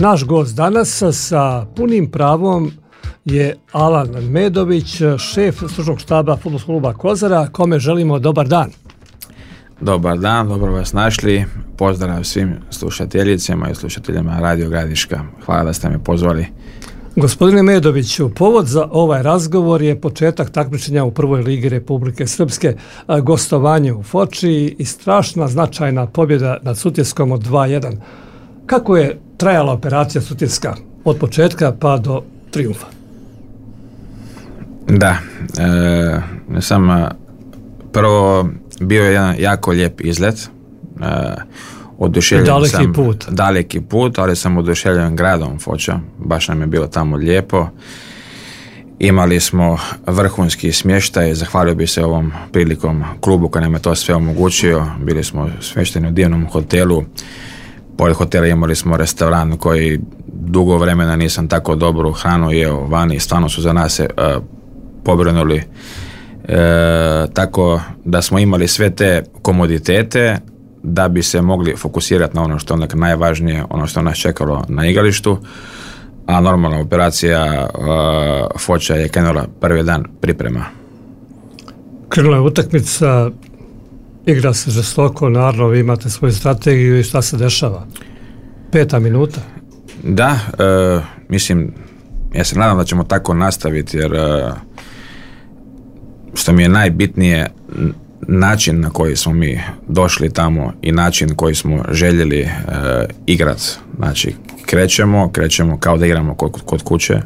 Naš gost danas sa punim pravom je Alan Medović, šef stručnog štaba Fudbalskog kluba Kozara, kome želimo dobar dan. Dobar dan, dobro vas našli. Pozdrav svim slušateljicama i slušateljima Radio Gradiška. Hvala da ste me pozvali. Gospodine Medoviću, povod za ovaj razgovor je početak takmičenja u prvoj ligi Republike Srpske, gostovanje u Foči i strašna značajna pobjeda nad Sutjeskom od 2-1. Kako je trajala operacija Sutjeska od početka pa do trijumfa? Da, prvo bio je jedan jako lijep izlet. Daleki put, ali sam oduševljen gradom Foča, baš nam je bilo tamo lijepo. Imali smo vrhunski smještaj, zahvalio bih se ovom prilikom klubu koji nam je to sve omogućio. Bili smo smješteni u divnom hotelu, pored hotela imali smo restoran koji dugo vremena nisam tako dobru hranu jeo vani, stvarno su za nas se pobrinuli. Tako da smo imali sve te komoditete da bi se mogli fokusirati na ono što je najvažnije, ono što nas čekalo na igralištu, a normalna operacija Foča je krenula prvi dan priprema. Krenula je utakmica, igra se žestoko, naravno vi imate svoju strategiju i šta se dešava? 5. minuta? Da, mislim, ja se nadam da ćemo tako nastaviti, jer što mi je najbitnije, način na koji smo mi došli tamo i način koji smo željeli igrati. Znači, krećemo kao da igramo kod kuće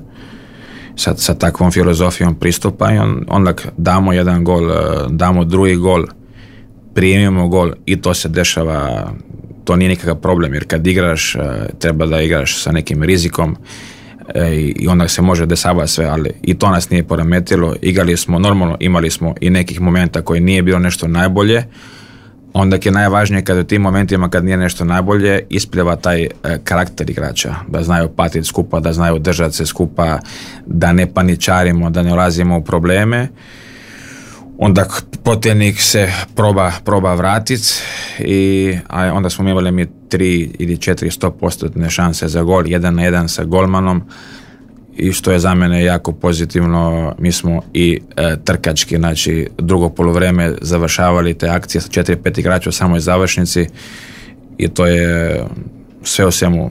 sa takvom filozofijom pristupa i onda damo jedan gol, damo drugi gol, primimo gol i to se dešava. To nije nikakav problem, jer kad igraš treba da igraš sa nekim rizikom i onda se može dešavati sve, ali i to nas nije poremetilo. Igrali smo normalno, imali smo i nekih momenta koji nije bilo nešto najbolje. Onda je najvažnije kada u tim momentima kad nije nešto najbolje ispliva taj karakter igrača, da znaju patiti skupa, da znaju držati se skupa, da ne paničarimo, da ne ulazimo u probleme. Onda protivnik se proba vratiti a onda smo imali mi 3 ili 4 100% šanse za gol, 1-1 sa golmanom, i što je za mene jako pozitivno. Mi smo i trkački, znači drugo poluvreme završavali te akcije sa 4-5 igrača u samoj završnici i to je sve u svemu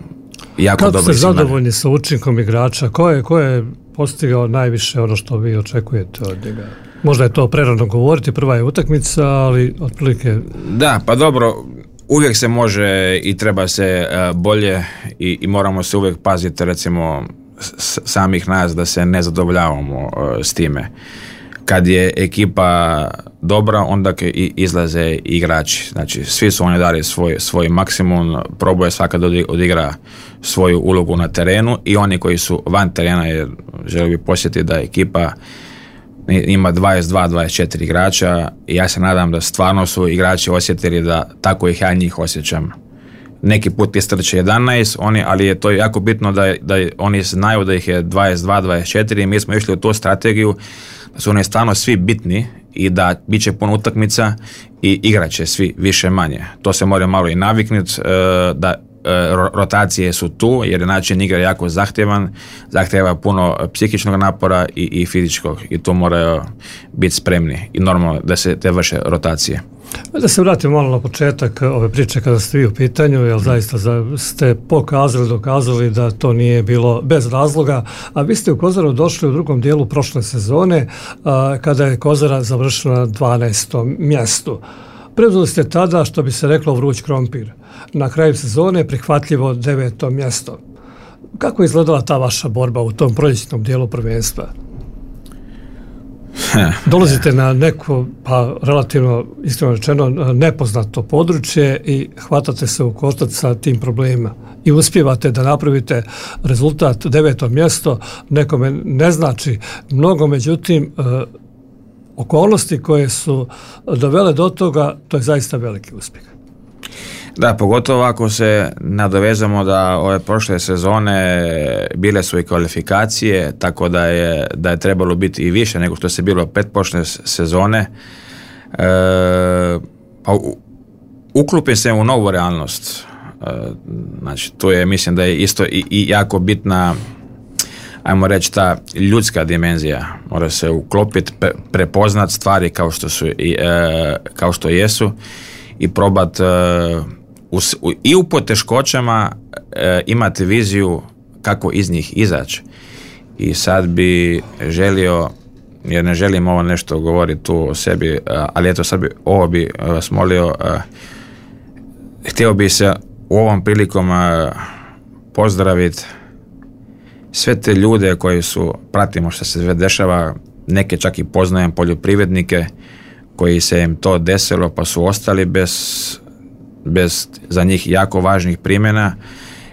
jako dobro. Kako ste zadovoljni sa učinkom igrača? Ko je postigao najviše ono što vi očekujete od njega? Možda je to prerano govoriti, prva je utakmica, ali otprilike... Da, pa dobro, uvijek se može i treba se bolje i moramo se uvijek paziti, recimo, samih nas da se ne zadovoljavamo s time. Kad je ekipa dobra, onda izlaze igrači. Znači, svi su oni dali svoj maksimum, probuje svaka da odigra svoju ulogu na terenu i oni koji su van terena, jer želim bi posjetiti da ekipa ima 22-24 igrača i ja se nadam da stvarno su igrači osjetili da tako ih ja njih osjećam. Neki put istrče 11, ali je to jako bitno da oni znaju da ih je 22-24 i mi smo išli u tu strategiju da su oni stvarno svi bitni i da bit će puno utakmica i igrat će svi više manje. To se mora malo i naviknuti, da rotacije su tu jer je način igre jako zahtjeva puno psihičkog napora i fizičkog i tu moraju biti spremni i normalno da se te vrše rotacije. Da se vratimo malo na početak ove priče kada ste vi u pitanju, jer zaista ste dokazali da to nije bilo bez razloga, a vi ste u Kozaru došli u drugom dijelu prošle sezone kada je Kozara završila na 12. mjestu. Preuzeli ste tada, što bi se reklo, vruć krompir. Na kraju sezone prihvatljivo 9. mjesto. Kako je izgledala ta vaša borba u tom proljećnom dijelu prvenstva? Dolazite na neko, pa relativno, iskreno rečeno, nepoznato područje i hvatate se u koštac sa tim problemima. I uspijevate da napravite rezultat 9. mjesto, nekome ne znači mnogo, međutim, okolnosti koje su dovele do toga, to je zaista veliki uspjeh. Da, pogotovo ako se nadovezamo da ove prošle sezone bile su i kvalifikacije, tako da je trebalo biti i više nego što se bilo pretprošle sezone. Pa uklopim se u novu realnost. Znači, tu je, mislim da je isto i jako bitna, ajmo reći, ta ljudska dimenzija. Mora se uklopiti, prepoznat stvari kao što jesu i probat i u poteškoćama imati viziju kako iz njih izaći. I sad bi želio, jer ne želim ovo nešto govoriti tu o sebi, ali eto sad ovo bi vas molio, htio bi se u ovom prilikom pozdraviti sve te ljude koji pratimo što se sve dešava, neke čak i poznajem poljoprivrednike koji se im to desilo pa su ostali bez za njih jako važnih primjena,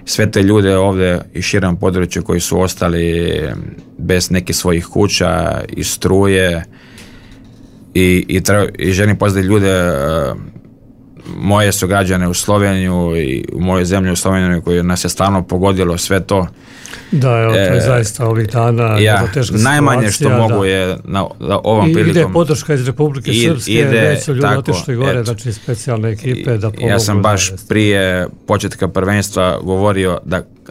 sve te ljude ovdje i širom području koji su ostali bez nekih svojih kuća i struje i želim pozdraviti ljude, moje sugrađane u Sloveniju i u mojoj zemlji u Sloveniju koji nas je stalno pogodilo sve to. Da, evo, to je zaista ovih dana teška najmanje situacija, što mogu je na ovom prilikom. Ide podrška iz Republike Srpske, već su ljudi otišli gore, znači specijalne ekipe da pomogu. Ja sam baš prije početka prvenstva govorio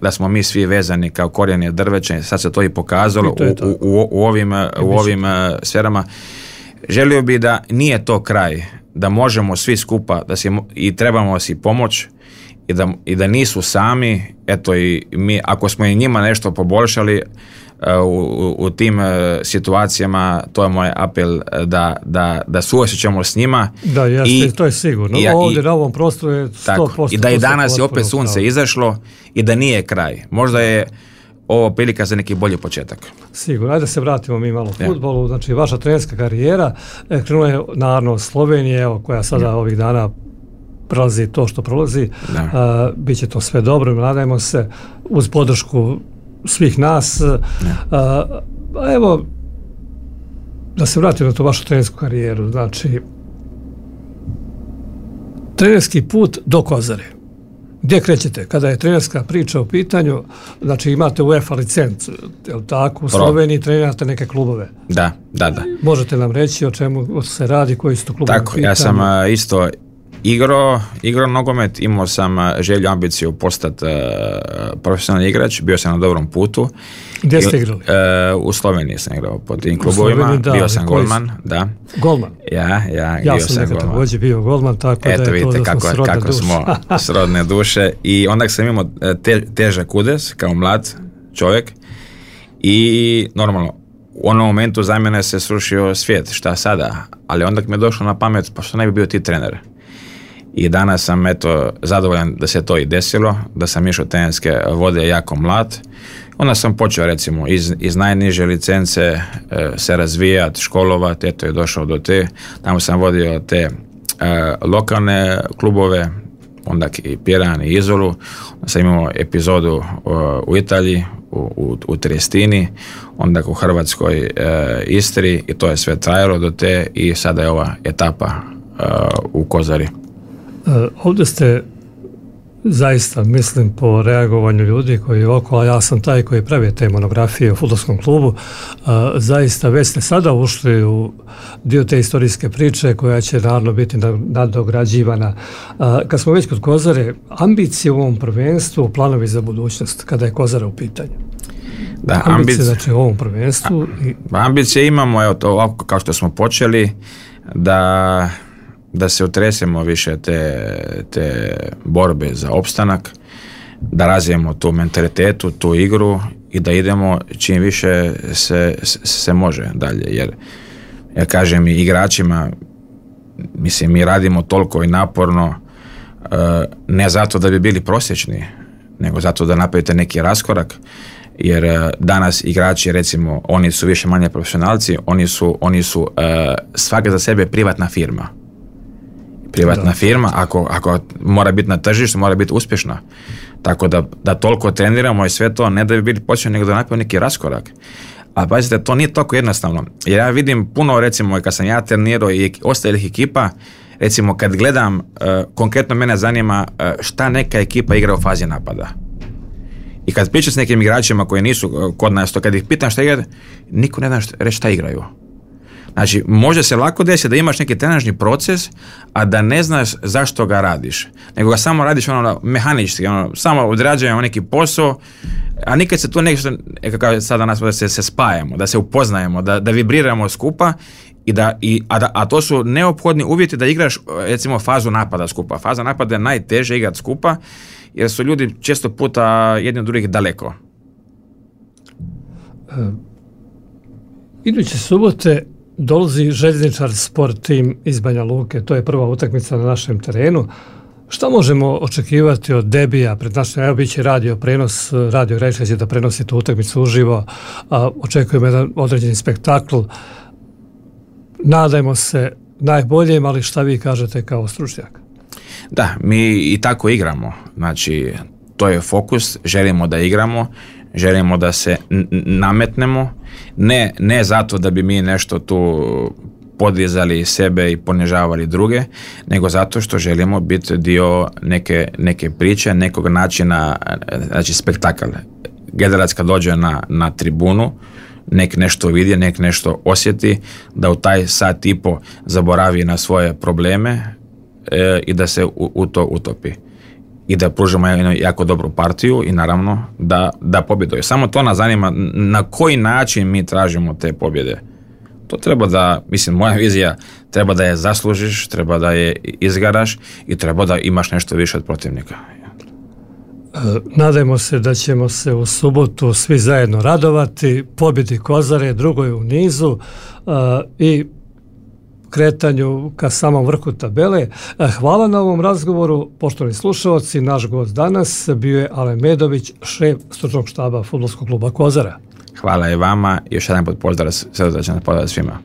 da smo mi svi vezani kao korijeni drveća, sad se to i pokazalo u ovim sferama. Želio bi da nije to kraj, da možemo svi skupa i trebamo si pomoć i da nisu sami, eto i mi, ako smo i njima nešto poboljšali u tim situacijama, to je moj apel da suosjećamo s njima. Da, jeste, to je sigurno. Ovdje na ovom prostoru je 100%. I da i danas je opet sunce izašlo i da nije kraj. Možda je ovo prilika za neki bolji početak. Sigurno. Ajde da se vratimo mi malo u fudbalu. Znači, vaša trenerska karijera krenula je naravno Slovenije, koja sada ovih dana prolazi to što prolazi. Biće to sve dobro, nadajmo se, uz podršku svih nas. Evo, da se vratimo na tu vašu trenersku karijeru. Znači, trenerski put do Kozare. Gdje krećete? Kada je trenerska priča u pitanju, znači imate UEFA licencu, je li tako? U Sloveniji trenirate neke klubove. Da. Možete nam reći o čemu se radi, koji su to klubovi u pitanju? Ja sam isto igrao nogomet, imao sam želju, ambiciju postati profesionalni igrač, bio sam na dobrom putu. Gdje ste igrali? U Sloveniji sam igrao po tim klubovima, bio sam golman. Da. Golman? Ja sam nekad također bio golman, tako eto, da je vidite, to da smo kako smo srodne duše. I onda sam imao težak udes kao mlad čovjek i normalno u onom momentu za mene se srušio svijet, šta sada, ali onda mi je došlo na pamet, pa što ne bi bio ti trener. I danas sam zadovoljan da se to i desilo, da sam išao trenerske vode jako mlad. Onda sam počeo recimo iz najniže licence se razvijati, školovati, eto je došao do te. Tamo sam vodio te lokalne klubove, onda i Piran i Izolu. Onda sam imao epizodu u Italiji, u Triestini, onda u Hrvatskoj Istri i to je sve trajalo do te i sada je ova etapa u Kozari. Ovdje ste zaista, mislim, po reagovanju ljudi koji je okolo, ja sam taj koji pravi te monografije u fudbalskom klubu, zaista već ste sada ušli u dio te historijske priče koja će naravno biti nadograđivana. Kad smo već kod Kozare, ambicije u ovom prvenstvu, planovi za budućnost, kada je Kozara u pitanju? Da, ambicije znači u ovom prvenstvu. Ambicije imamo, evo to ovako kao što smo počeli, da se otresemo više te borbe za opstanak, da razvijemo tu mentalitetu, tu igru i da idemo čim više se može dalje. Jer ja kažem i igračima, mislim, mi radimo toliko i naporno, ne zato da bi bili prosječni, nego zato da napravite neki raskorak, jer danas igrači, recimo, oni su više manje profesionalci, oni su svaka za sebe privatna firma. Privatna firma, ako mora biti na tržištu, mora biti uspješna. Tako da toliko treniramo i sve to, ne da bi bili počeli, nego da napravimo neki raskorak. Ali pazite, to nije toliko jednostavno. Jer ja vidim puno, recimo, kad sam ja trenirao i ostalih ekipa, recimo kad gledam, konkretno mene zanima šta neka ekipa igra u fazi napada. I kad pričam s nekim igračima koji nisu kod nas, to kad ih pitam šta igraju, niko ne zna reći šta igraju. Znači, može se lako desiti da imaš neki trenažni proces, a da ne znaš zašto ga radiš. Nego ga samo radiš mehanički, samo odrađujemo neki posao, a nikad se tu nešto, kako sada nas da se spajamo, da se upoznajemo, da vibriramo skupa, a to su neophodni uvjeti da igraš, recimo, fazu napada skupa. Faza napada je najteže igrati skupa, jer su ljudi često puta jedni od drugih daleko. Iduće subote dolazi Željezničar Sport Tim iz Banja Luke. To je prva utakmica na našem terenu. Šta možemo očekivati od debija pred našim? Evo, bit će radio prenos, Radio Gradiška će da prenosi tu utakmicu uživo. Očekujemo jedan određeni spektakl. Nadajmo se najboljem, ali šta vi kažete kao stručnjak? Da, mi i tako igramo. Znači, to je fokus, želimo da igramo, želimo da se nametnemo, ne zato da bi mi nešto tu podizali sebe i ponižavali druge, nego zato što želimo biti dio neke priče, nekog načina, znači spektakl. Gledalac kad dođe na tribunu, nek nešto vidi, nek nešto osjeti, da u taj sat i po zaboravi na svoje probleme i da se u to utopi. I da pružimo jednu jako dobru partiju i naravno da pobjeduje. Samo to nas zanima, na koji način mi tražimo te pobjede. To treba da, mislim, moja vizija, treba da je zaslužiš, treba da je izgaraš i treba da imaš nešto više od protivnika. Nadajmo se da ćemo se u subotu svi zajedno radovati, pobjedi Kozare, drugoj u nizu i kretanju ka samom vrhu tabele. Hvala na ovom razgovoru, poštovani slušalci. Naš gost danas bio je Alen Medović, šef stručnog štaba Fudbalskog kluba Kozara. Hvala i vama i još jedan put pozdrav svima.